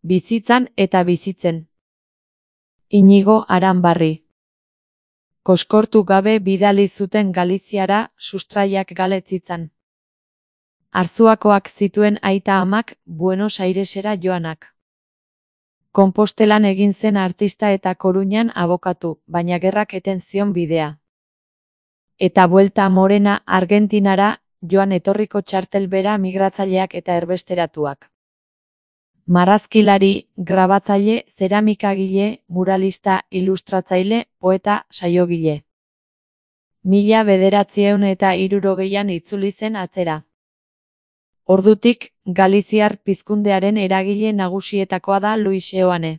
Bizitzan eta bizitzen. Inigo Aranbarri. Koskortu gabe bidali zuten Galiziara sustraiak galetzitzan. Arzuakoak zituen aita amak Buenos Airesera joanak. Konpostelan egin zen artista eta Koruñan abokatu, baina gerrak eten zion bidea. Eta buelta Morena Argentinara joan etorriko txartel bera migratzaileak eta erbesteratuak. Marrazkilari, grabatzaile, zeramikagile, muralista, ilustratzaile, poeta, saiogile. 1960ean itzuli zen atzera. Ordutik, galiziar pizkundearen eragile nagusietakoa da Luis Seoane.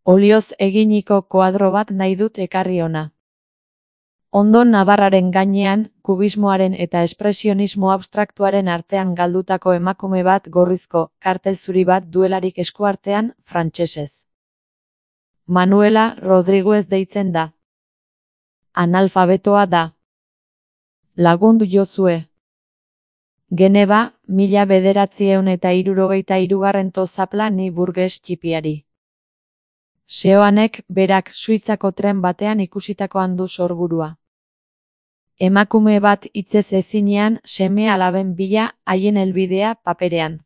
Olioz eginiko koadro bat nahi dut ekarri hona. Ondo Navarraren gainean, kubismoaren eta espresionismo abstraktuaren artean galdutako emakume bat gorrizko, kartel zuri bat duelarik eskuartean, frantsesez. Manuela Rodriguez deitzen da. Analfabetoa da. Lagundu jozue. Geneba, 1963 zapla ni burges txipiari. Seoanek berak Suitzako tren batean ikusitakoan du sorburua. Emakume bat hitzez ezinean seme alaben bila haien helbidea paperean.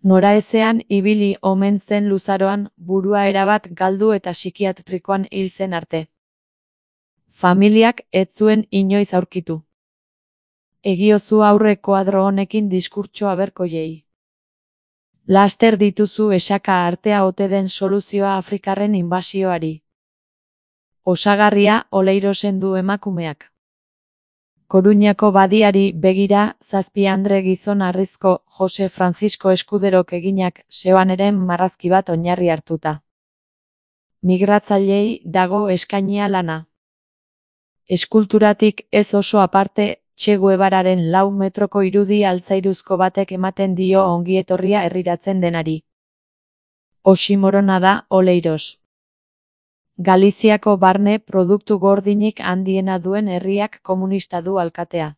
Noraezean ibili omen zen luzaroan burua erabat galdu eta psikiatrikoan hil zen arte. Familiak ez zuen inoiz aurkitu. Egiozu aurre koadro honekin diskurtso aberkoiei. Laster dituzu esaka artea ote den soluzioa Afrikarren inbasioari. Osagarria Oleirosen du emakumeak. Koruñako badiari begira 7 gizon harrizko Jose Francisco Eskuderok eginak Seoaneren marrazki bat oinarri hartuta. Migratzaileei dago eskainia lana. Eskulturatik ez oso aparte, Che Guevararen 4 metroko irudi altzairuzko batek ematen dio ongietorria herriratzen denari. Oximorona da Oleiros. Galiziako barne produktu gordinik handiena duen herriak komunista du alkatea.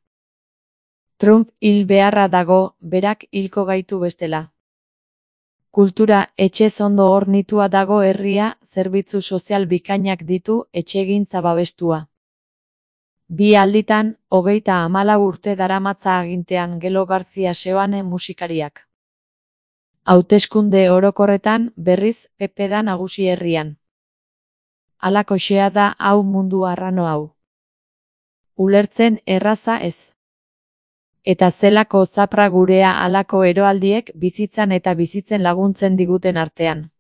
Trump hil beharra dago, berak hilko gaitu bestela. Kultura etxez ondo hornitua dago herria, zerbitzu sozial bikainak ditu, etxegintza babestua. 2 alditan, 34 urte daramatza agintean Gelo García Seoane musikariak. Hauteskunde orokorretan, berriz, PP da nagusi herrian. Halakoxea da hau mundu arrano hau. Ulertzen erraza ez. Eta zelako zapra gurea halako eroaldiek bizitzan eta bizitzen laguntzen diguten artean.